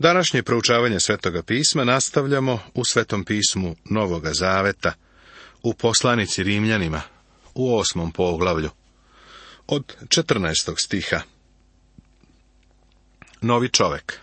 Današnje proučavanje Svetoga pisma nastavljamo u Svetom pismu Novoga Zaveta, u poslanici Rimljanima, u 8. poglavlju, od 14. stiha. Novi čovek.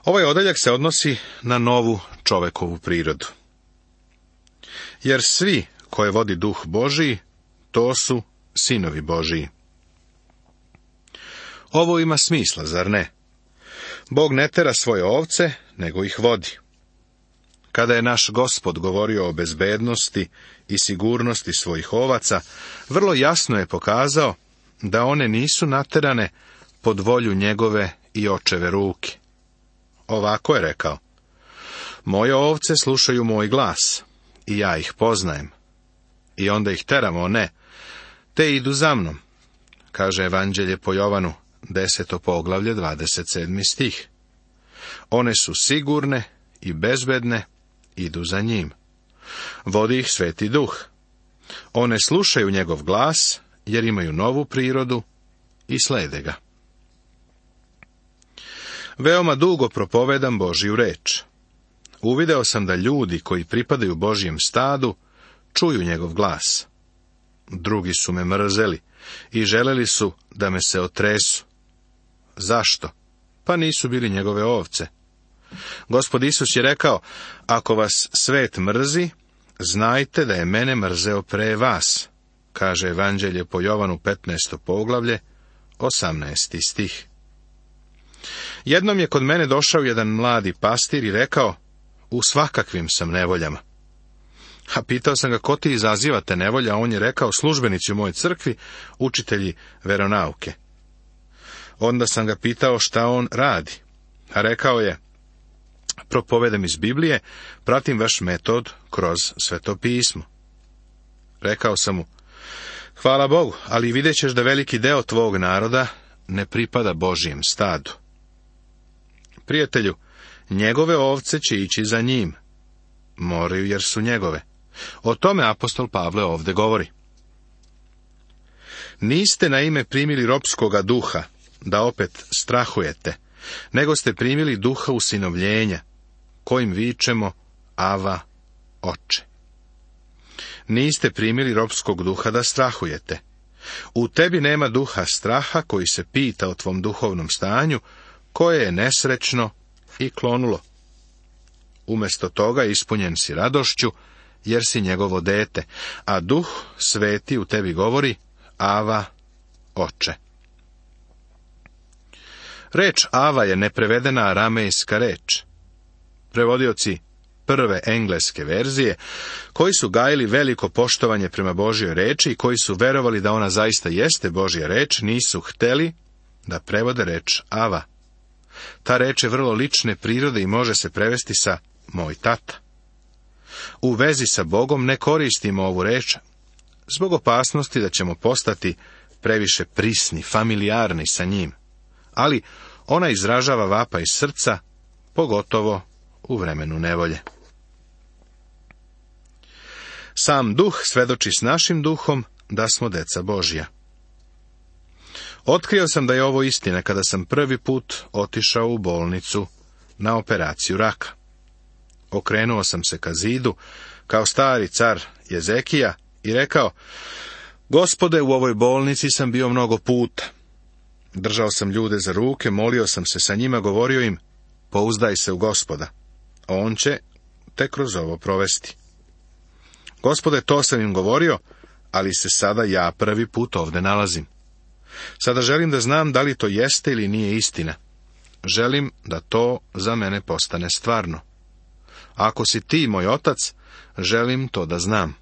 Ovaj odeljak se odnosi na novu čovekovu prirodu. Jer svi koje vodi Duh Božiji, to su sinovi Božiji. Ovo ima smisla, zar ne? Bog ne tera svoje ovce, nego ih vodi. Kada je naš Gospod govorio o bezbednosti i sigurnosti svojih ovaca, vrlo jasno je pokazao da one nisu naterane pod volju njegove i očeve ruke. Ovako je rekao: moje ovce slušaju moj glas, i ja ih poznajem. I onda ih teramo, ne, te idu za mnom, kaže Evanđelje po Jovanu, 10. poglavlje, 27. stih. One su sigurne i bezbedne, idu za njim. Vodi ih Sveti Duh. One slušaju njegov glas, jer imaju novu prirodu i slede ga. Veoma dugo propovedam Božju reč. Uvideo sam da ljudi koji pripadaju Božjem stadu čuju njegov glas. Drugi su me mrzeli i želeli su da me se otresu. Zašto? Pa nisu bili njegove ovce. Gospod Isus je rekao: ako vas svet mrzi, znajte da je mene mrzeo pre vas, kaže Evanđelje po Jovanu, 15. poglavlje, 18. stih. Jednom je kod mene došao jedan mladi pastir i rekao: u svakakvim sam nevoljama. A pitao sam ga: ko ti izaziva te nevolje? A on je rekao: službenici u mojoj crkvi, učitelji veronauke. Onda sam ga pitao šta on radi, a rekao je: propovedam iz Biblije, pratim vaš metod kroz Sveto pismo. Rekao sam mu: hvala Bogu, ali vidjet ćeš da veliki deo tvog naroda ne pripada Božjem stadu. Prijatelju, njegove ovce će ići za njim. Moraju, jer su njegove. O tome apostol Pavle ovdje govori. Niste naime primili ropskoga duha, da opet strahujete, nego ste primili duha usinovljenja, kojim vičemo: Ava, Oče. Niste primili ropskog duha da strahujete. U tebi nema duha straha koji se pita o tvom duhovnom stanju, koje je nesrećno i klonulo. Umjesto toga ispunjen si radošću, jer si njegovo dete, a Duh Sveti u tebi govori: Ava, Oče. Reč Ava je neprevedena aramejska reč. Prevodioci prve engleske verzije, koji su gajili veliko poštovanje prema Božjoj reči i koji su verovali da ona zaista jeste Božja reč, nisu hteli da prevode reč Ava. Ta reč je vrlo lične prirode i može se prevesti sa moj tata. U vezi sa Bogom ne koristimo ovu reč zbog opasnosti da ćemo postati previše prisni, familijarni sa njim, ali ona izražava vapaj srca, pogotovo u vremenu nevolje. Sam Duh svedoči s našim duhom da smo deca Božja. Otkrio sam da je ovo istina kada sam prvi put otišao u bolnicu na operaciju raka. Okrenuo sam se ka zidu, kao stari car Jezekija, i rekao: Gospode, u ovoj bolnici sam bio mnogo puta. Držao sam ljude za ruke, molio sam se sa njima, govorio im: pouzdaj se u Gospoda, on će te kroz ovo provesti. Gospode, to sam im govorio, ali se sada ja prvi put ovdje nalazim. Sada želim da znam da li to jeste ili nije istina. Želim da to za mene postane stvarno. Ako si ti moj otac, želim to da znam.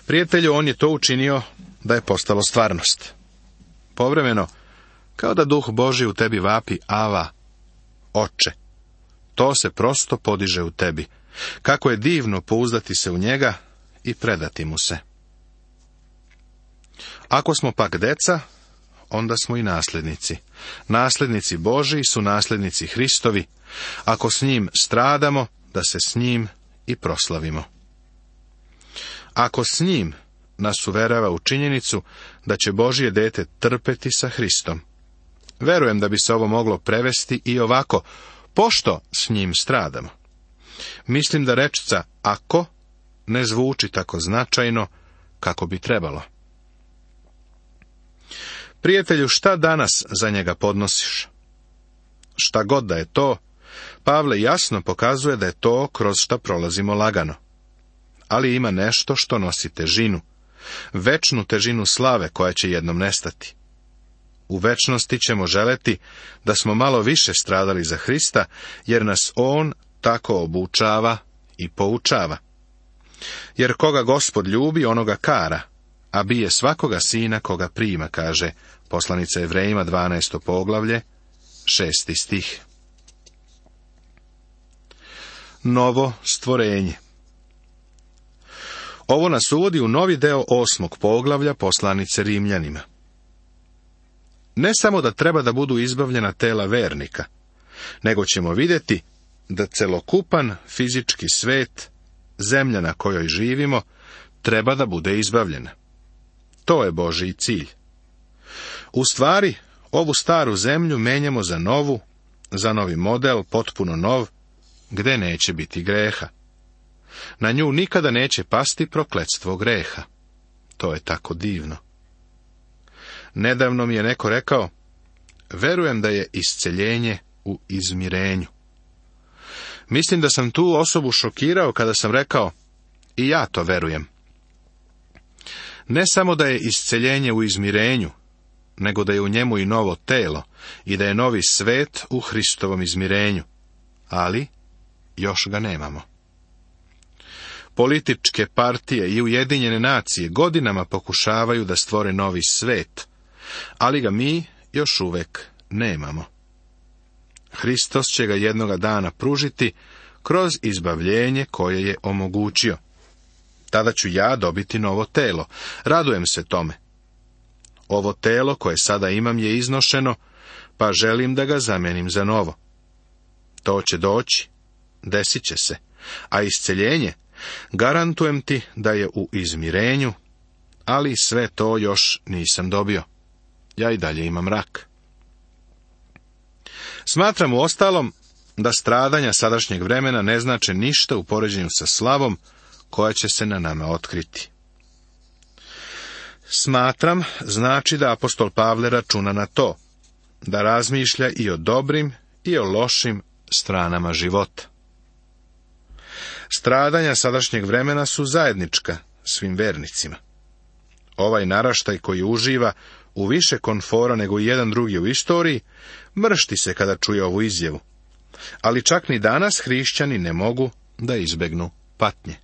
Prijatelju, on je to učinio da je postalo stvarnost. Povremeno, kao da Duh Božji u tebi vapi: Ava, Oče. To se prosto podiže u tebi. Kako je divno pouzdati se u njega i predati mu se. Ako smo pak deca, onda smo i nasljednici. Nasljednici Božji su nasljednici Hristovi. Ako s njim stradamo, da se s njim i proslavimo. Ako s njim nas uverava u činjenicu da će Božje dete trpeti sa Hristom, Verujem da bi se ovo moglo prevesti i ovako: pošto s njim stradamo. Mislim da rečca ako ne zvuči tako značajno kako bi trebalo. Prijatelju, šta danas za njega podnosiš? Šta god da je to, Pavle jasno pokazuje da je to kroz šta prolazimo lagano. Ali ima nešto što nosi težinu, večnu težinu slave koja će jednom nestati. U večnosti ćemo želeti da smo malo više stradali za Hrista, jer nas on tako obučava i poučava. Jer koga Gospod ljubi, onoga kara, a bije svakoga sina koga prima, kaže poslanica Evrejima 12. poglavlje, 6. stih. Novo stvorenje. Ovo nas uvodi u novi deo 8. poglavlja poslanice Rimljanima. Ne samo da treba da budu izbavljena tela vernika, nego ćemo vidjeti da celokupan fizički svet, zemlja na kojoj živimo, treba da bude izbavljena. To je Božji cilj. U stvari, ovu staru zemlju menjamo za novu, za novi model, potpuno nov, gde neće biti greha. Na nju nikada neće pasti prokletstvo greha. To je tako divno. Nedavno mi je neko rekao: verujem da je isceljenje u izmirenju. Mislim da sam tu osobu šokirao kada sam rekao: i ja to verujem. Ne samo da je isceljenje u izmirenju, nego da je u njemu i novo telo i da je novi svet u Hristovom izmirenju, ali još ga nemamo. Političke partije i Ujedinjene nacije godinama pokušavaju da stvore novi svet, ali ga mi još uvek nemamo. Hristos će ga jednoga dana pružiti kroz izbavljenje koje je omogućio. Tada ću ja dobiti novo telo. Radujem se tome. Ovo telo koje sada imam je iznošeno, pa želim da ga zamenim za novo. To će doći, desit će se, a isceljenje, garantujem ti da je u izmirenju, ali sve to još nisam dobio. Ja i dalje imam rak. Smatram uostalom da stradanja sadašnjeg vremena ne znače ništa u poređenju sa slavom koja će se na nama otkriti. Smatram znači da apostol Pavle računa na to, da razmišlja i o dobrim i o lošim stranama života. Stradanja sadašnjeg vremena su zajednička svim vernicima. Ovaj naraštaj koji uživa u više komfora nego i jedan drugi u istoriji, mršti se kada čuje ovu izjavu. Ali čak ni danas hrišćani ne mogu da izbegnu patnje.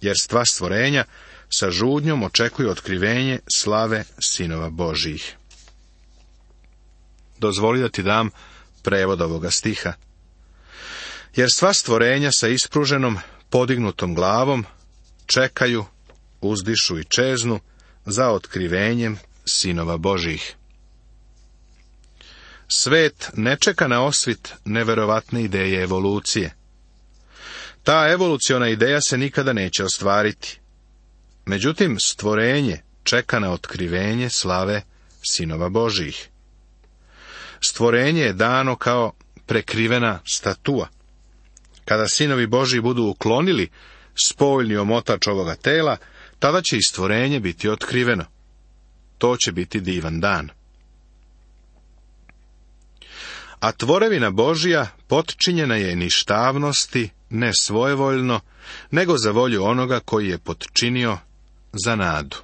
Jer sva stvorenja sa žudnjom očekuju otkrivenje slave sinova Božjih. Dozvoli da ti dam prevod ovoga stiha. Jer sva stvorenja sa ispruženom, podignutom glavom čekaju, uzdišu i čeznu za otkrivenjem sinova Božjih. Svet ne čeka na osvit neverovatne ideje evolucije. Ta evoluciona ideja se nikada neće ostvariti. Međutim, stvorenje čeka na otkrivenje slave sinova Božjih. Stvorenje je dano kao prekrivena statua. Kada sinovi Božji budu uklonili spoljni omotač ovoga tela, tada će i stvorenje biti otkriveno. To će biti divan dan. A tvorevina Božja potčinjena je ništavnosti, ne svojevoljno, nego za volju onoga koji je potčinio za nadu.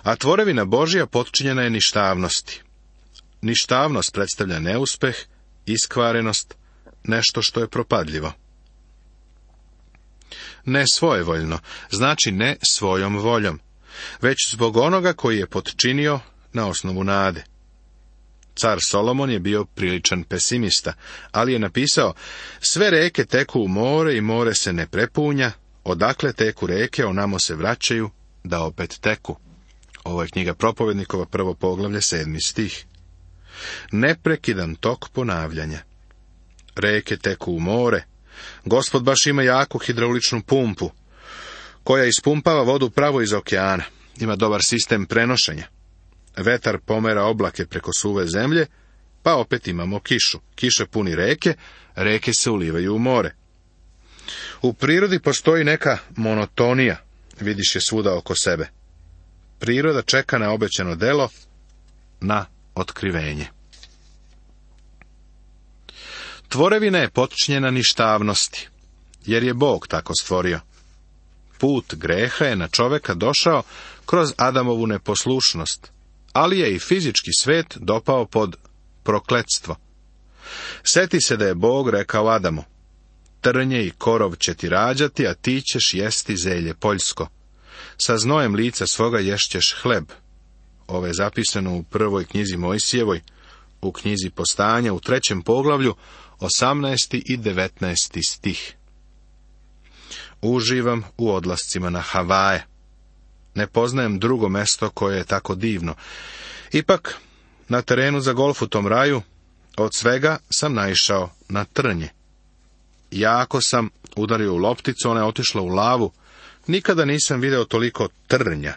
A tvorevina Božja potčinjena je ništavnosti. Ništavnost predstavlja neuspeh, iskvarenost, nešto što je propadljivo. Ne svojevoljno, znači ne svojom voljom, već zbog onoga koji je potčinio na osnovu nade. Car Solomon je bio priličan pesimista, ali je napisao: sve reke teku u more i more se ne prepunja, odakle teku reke, onamo se vraćaju, da opet teku. Ovo je knjiga Propovednikova, 1. poglavlje, 7. stih. Neprekidan tok ponavljanja. Reke teku u more. Gospod baš ima jaku hidrauličnu pumpu, koja ispumpava vodu pravo iz okeana. Ima dobar sistem prenošenja. Vetar pomera oblake preko suve zemlje, pa opet imamo kišu. Kiša puni reke, reke se ulivaju u more. U prirodi postoji neka monotonija, vidiš je svuda oko sebe. Priroda čeka na obećano delo, na otkrivenje. Tvorevina je potčinjena ništavnosti, jer je Bog tako stvorio. Put greha je na čoveka došao kroz Adamovu neposlušnost, ali je i fizički svet dopao pod prokletstvo. Seti se da je Bog rekao Adamu: trnje i korov će ti rađati, a ti ćeš jesti zelje poljsko. Sa znojem lica svoga ješćeš hleb. Ovo je zapisano u prvoj knjizi Mojsijevoj, u knjizi Postanja, u 3. poglavlju, 18. i 19. stih. Uživam u odlascima na Havaje. Ne poznajem drugo mesto koje je tako divno. Ipak, na terenu za golf u tom raju, od svega sam naišao na trnje. Jako sam udario u lopticu, ona je otišla u lavu. Nikada nisam video toliko trnja.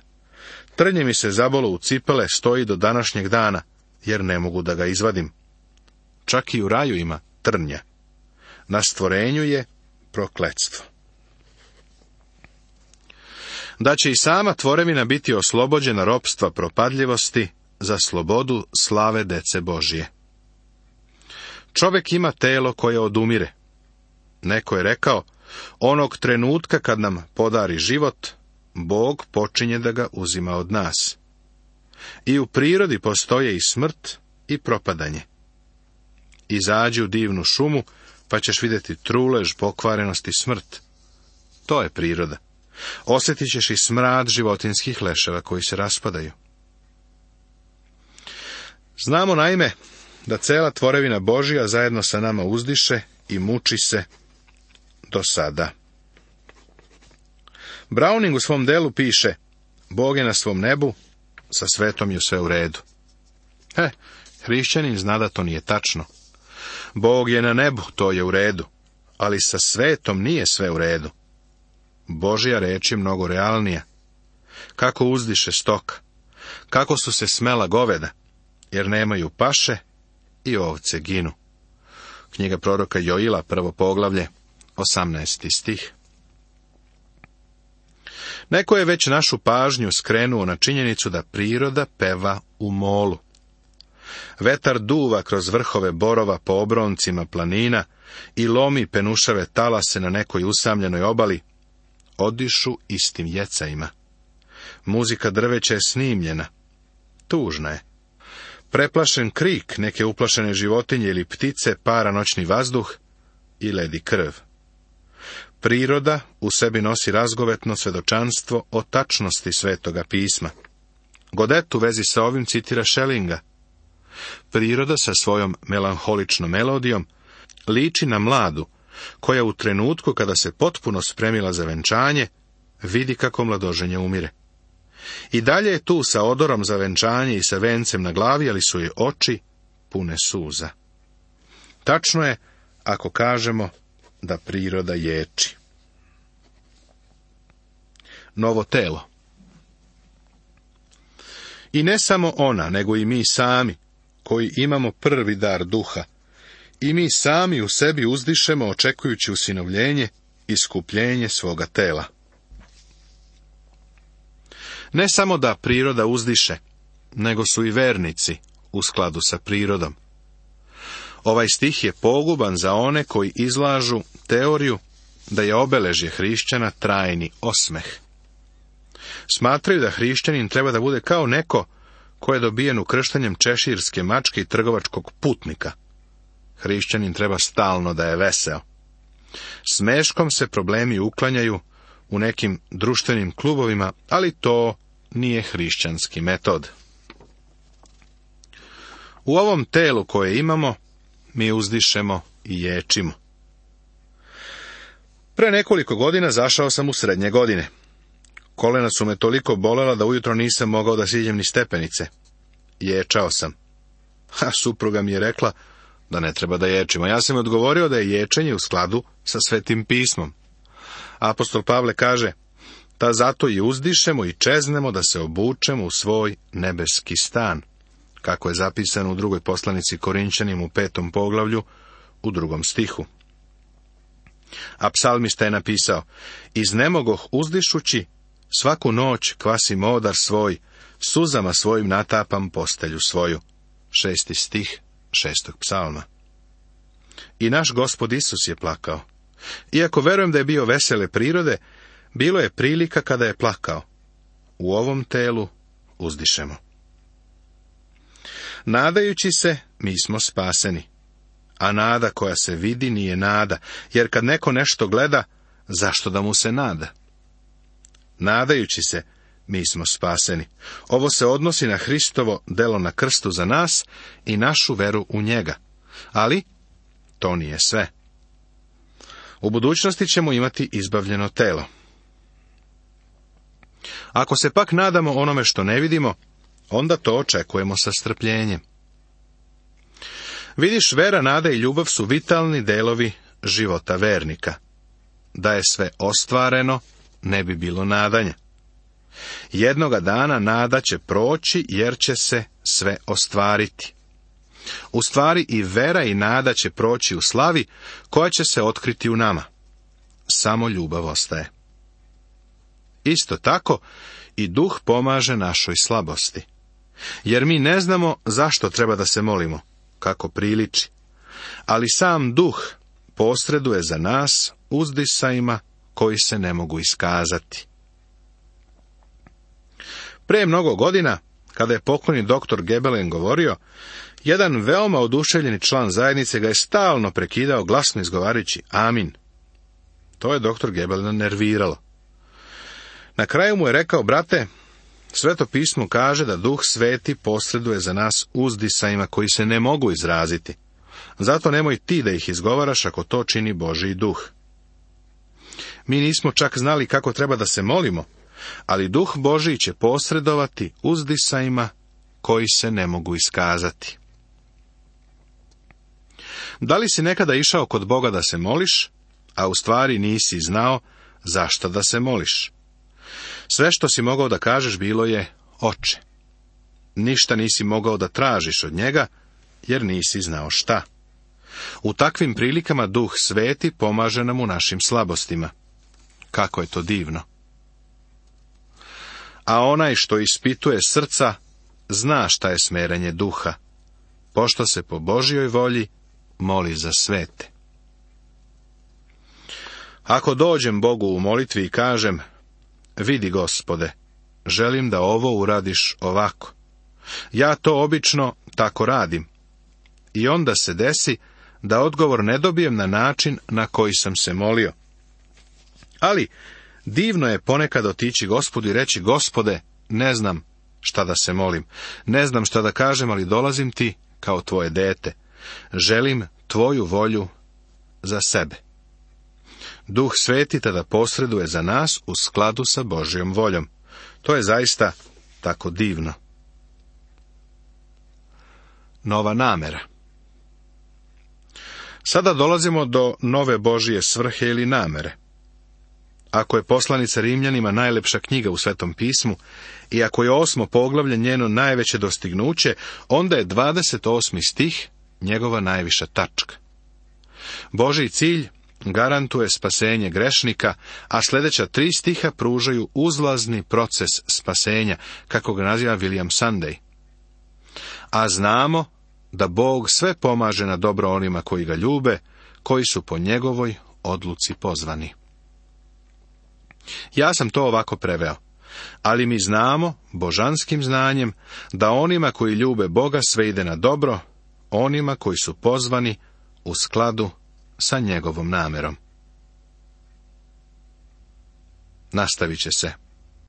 Trnje mi se zabolo u cipele, stoji do današnjeg dana, jer ne mogu da ga izvadim. Čak i u raju ima trnja. Na stvorenju je prokletstvo. Da će i sama tvorevina biti oslobođena ropstva propadljivosti za slobodu slave dece Božije. Čovjek ima telo koje odumire. Neko je rekao, onog trenutka kad nam podari život, Bog počinje da ga uzima od nas. I u prirodi postoje i smrt i propadanje. Izađi u divnu šumu, pa ćeš vidjeti trulež, pokvarenost i smrt. To je priroda. Osjetit ćeš i smrad životinskih leševa koji se raspadaju. Znamo naime da cela tvorevina Božja zajedno sa nama uzdiše i muči se do sada. Browning u svom delu piše: Bog je na svom nebu, sa svetom je sve u redu. Hrišćanin zna da to nije tačno. Bog je na nebu, to je u redu, ali sa svetom nije sve u redu. Božja reč je mnogo realnija. Kako uzdiše stoka, kako su se smela goveda, jer nemaju paše i ovce ginu. Knjiga proroka Joila, 1. poglavlje, 18. stih. Neko je već našu pažnju skrenuo na činjenicu da priroda peva u molu. Vetar duva kroz vrhove borova po obroncima planina i lomi penušave talase na nekoj usamljenoj obali. Odišu istim jecajima. Muzika drveća je snimljena. Tužna je. Preplašen krik neke uplašene životinje ili ptice para noćni vazduh i ledi krv. Priroda u sebi nosi razgovetno svedočanstvo o tačnosti Svetoga pisma. Godet u vezi sa ovim citira Schellinga. Priroda sa svojom melanholičnom melodijom liči na mladu, koja u trenutku kada se potpuno spremila za venčanje, vidi kako mladoženja umire. I dalje je tu sa odorom za venčanje i sa vencem na glavi, ali su joj oči pune suza. Tačno je ako kažemo da priroda ječi. Novo telo. I ne samo ona, nego i mi sami, koji imamo prvi dar duha, i mi sami u sebi uzdišemo očekujući usinovljenje i iskupljenje svoga tela. Ne samo da priroda uzdiše, nego su i vernici u skladu sa prirodom. Ovaj stih je poguban za one koji izlažu teoriju da je obeležje hrišćana trajni osmeh. Smatraju da hrišćanin treba da bude kao neko ko je dobijen ukrštanjem češirske mačke i trgovačkog putnika. Hrišćanin treba stalno da je veseo. Smeškom se problemi uklanjaju u nekim društvenim klubovima, ali to nije hrišćanski metod. U ovom telu koje imamo, mi uzdišemo i ječimo. Pre nekoliko godina zašao sam u srednje godine. Kolena su me toliko bolela da ujutro nisam mogao da siđem ni stepenice. Ječao sam. A supruga mi je rekla da ne treba da ječimo. Ja sam odgovorio da je ječenje u skladu sa Svetim pismom. Apostol Pavle kaže: ta zato i uzdišemo i čeznemo da se obučemo u svoj nebeski stan, kako je zapisano u drugoj poslanici Korinćanima u 5. poglavlju, u 2. stihu. A psalmista je napisao: iznemogoh uzdišući, svaku noć kvasim odar svoj, suzama svojim natapam postelju svoju. 6. stih 6. psalma. I naš Gospod Isus je plakao. Iako verujem da je bio vesele prirode, bilo je prilika kada je plakao. U ovom telu uzdišemo. Nadajući se, mi smo spaseni. A nada koja se vidi nije nada, jer kad neko nešto gleda, zašto da mu se nada? Nadajući se, mi smo spaseni. Ovo se odnosi na Hristovo delo na krstu za nas i našu veru u njega. Ali to nije sve. U budućnosti ćemo imati izbavljeno telo. Ako se pak nadamo onome što ne vidimo, onda to očekujemo sa strpljenjem. Vidiš, vera, nada i ljubav su vitalni delovi života vernika. Da je sve ostvareno, ne bi bilo nadanja. Jednoga dana nada će proći, jer će se sve ostvariti. U stvari i vera i nada će proći u slavi, koja će se otkriti u nama. Samo ljubav ostaje. Isto tako, i duh pomaže našoj slabosti. Jer mi ne znamo zašto treba da se molimo, kako priliči. Ali sam duh posreduje za nas uzdisajima koji se ne mogu iskazati. Pre mnogo godina, kada je pokojni doktor Gebelen govorio, jedan veoma oduševljeni član zajednice ga je stalno prekidao, glasno izgovarajući amin. To je doktor Gebelena nerviralo. Na kraju mu je rekao: brate, Sveto pismo kaže da Duh Sveti posreduje za nas uzdisajima koji se ne mogu izraziti. Zato nemoj ti da ih izgovaraš ako to čini Božji duh. Mi nismo čak znali kako treba da se molimo, ali Duh Božji će posredovati uzdisajima koji se ne mogu iskazati. Da li si nekada išao kod Boga da se moliš, a u stvari nisi znao zašto da se moliš? Sve što si mogao da kažeš bilo je Oče. Ništa nisi mogao da tražiš od njega, jer nisi znao šta. U takvim prilikama Duh Sveti pomaže nam u našim slabostima. Kako je to divno! A onaj što ispituje srca, zna šta je smerenje duha, pošto se po Božjoj volji moli za svete. Ako dođem Bogu u molitvi i kažem: vidi, Gospode, želim da ovo uradiš ovako. Ja to obično tako radim. I onda se desi da odgovor ne dobijem na način na koji sam se molio. Ali divno je ponekad otići Gospodu i reći: Gospode, ne znam šta da se molim, ne znam šta da kažem, ali dolazim ti kao tvoje dete. Želim tvoju volju za sebe. Duh Sveti tada posreduje za nas u skladu sa Božjom voljom. To je zaista tako divno. Nova namera. Sada dolazimo do nove Božje svrhe ili namere. Ako je poslanica Rimljanima najlepša knjiga u Svetom pismu i ako je 8. poglavlje njeno najveće dostignuće, onda je 28. stih njegova najviša tačka. Božji cilj garantuje spasenje grešnika, a sljedeća 3 stiha pružaju uzlazni proces spasenja, kako ga naziva William Sunday. A znamo da Bog sve pomaže na dobro onima koji ga ljube, koji su po njegovoj odluci pozvani. Ja sam to ovako preveo. Ali mi znamo, božanskim znanjem, da onima koji ljube Boga sve ide na dobro, onima koji su pozvani u skladu sa njegovom namerom. Nastavit će se.